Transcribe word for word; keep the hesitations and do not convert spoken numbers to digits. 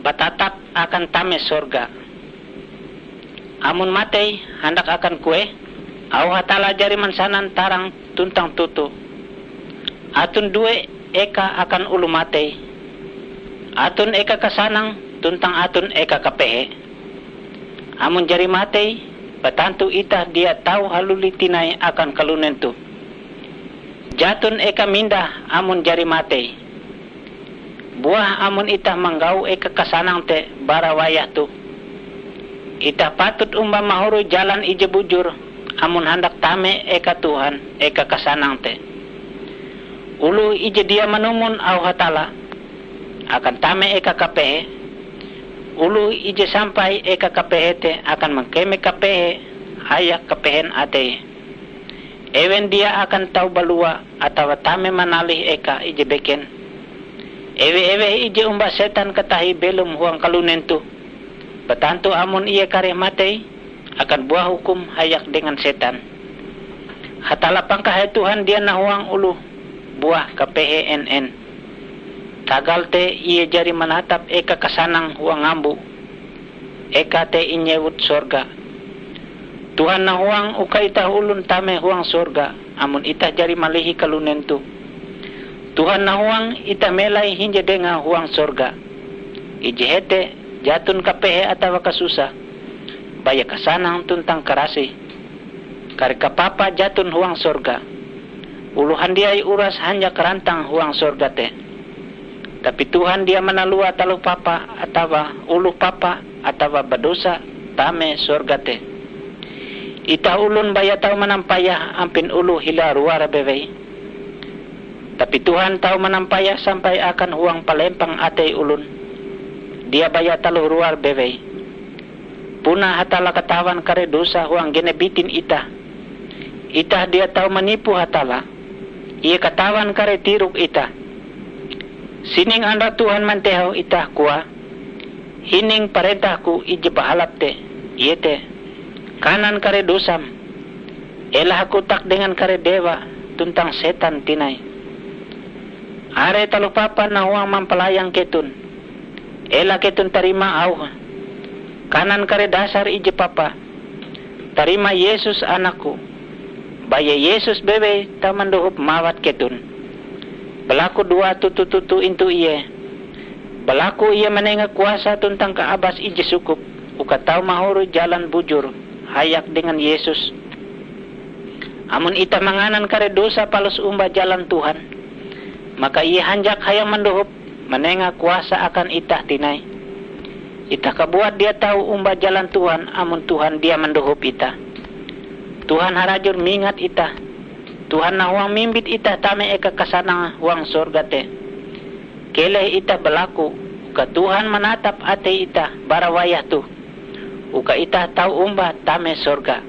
Batatap akan tame sorga. Amon matei, handak akan kueh? Auh Hatalla jari mansanan tarang tuntang toto. Aton due eka akan oloh matei. Aton eka kasanang tuntang aton eka kapehe. Amon jari matei, batantu itah dia tau haluli tinai akan kalunen toh. Jaton eka mindah amon jari matei. Buah amon itah manggau eka kasanang te bara wayah toh, itah patut omba mahoroi jalan ije bujur amon handak tame eka Tuhan eka kasanang te. Oloh ije dia manumon auh Hatalla akan tame eka kapehe. Oloh ije sampai eka kapehe te akan mangkeme kapehe hayak kapehen ateie. Ewen dia akan tau balua atawa tame manalih eka ije beken. Ewe-eweh ije omba setan katahie belom huang kalunen toh, batantu amon ie kareh matei, akan buah hukum hayak dengan setan. Hatalla pangkahai Tuhan dia nahuang oloh buah kapehe en-en. Tagal te ie jari manatap eka kasanang huang ngambo. Eka te inyewut sorga. Tuhan nahuang uka itah olon tame huang sorga amon itah jari malihi kalunen toh. Tuhan nahuang itah melai hinje dengae huang sorga. Ije hete jaton kapehe atawa kasusah, baya kasanang tuntang karasih. Kare kapapa jaton huang sorga. Oloh handiai uras hanjak rantang huang sorga te. Tapi Tuhan dia manalua taloh papa atawa oloh papa atawa badosa tame sorga te. Itah olon baya tau manampayah ampin oloh hila ruar bewei. Tapi Tuhan tau manampayah sampai akan huang palempang atei olon. Dia baya taloh ruar bewei. Puna Hatalla katawan kare dosa huang genep bitin itah. Itah dia tau manipu Hatalla. Ie katawan kare tirok itah. Sining andau Tuhan mantehau itah koae, hining parentah-Ku ije bahalap te, iete, kanan kare dosam. Ela hakotak dengan kare dewa tuntang setan tinai. Are taloh papa nahuang mampalayang keton, ela keton tarima auhe. Kanan kare dasar ije papa, tarima Yesus Anak-Ku. Baya Yesus bewei tau mandohop mawat keton. Balaku dua toto-toto intu Ie. Balaku Ie manenga kuasa tuntang kaabas ije sukup uka tau mahoroi jalan bujur hayak dengan Yesus. Amon itah manganan kare dosa palus omba jalan Tuhan, maka Ie hanjak hayak mandohop manenga kuasa akan itah tinai. Itah kabuat dia tau omba jalan Tuhan amon Tuhan dia mandohop itah. Tuhan harajur mingat itah. Tuhan nahuang mimbit itah tame eka kasanang huang sorga te. Keleh itah balaku uka Tuhan manatap atei itah bara wayah toh, uka itah tau omba tame sorga.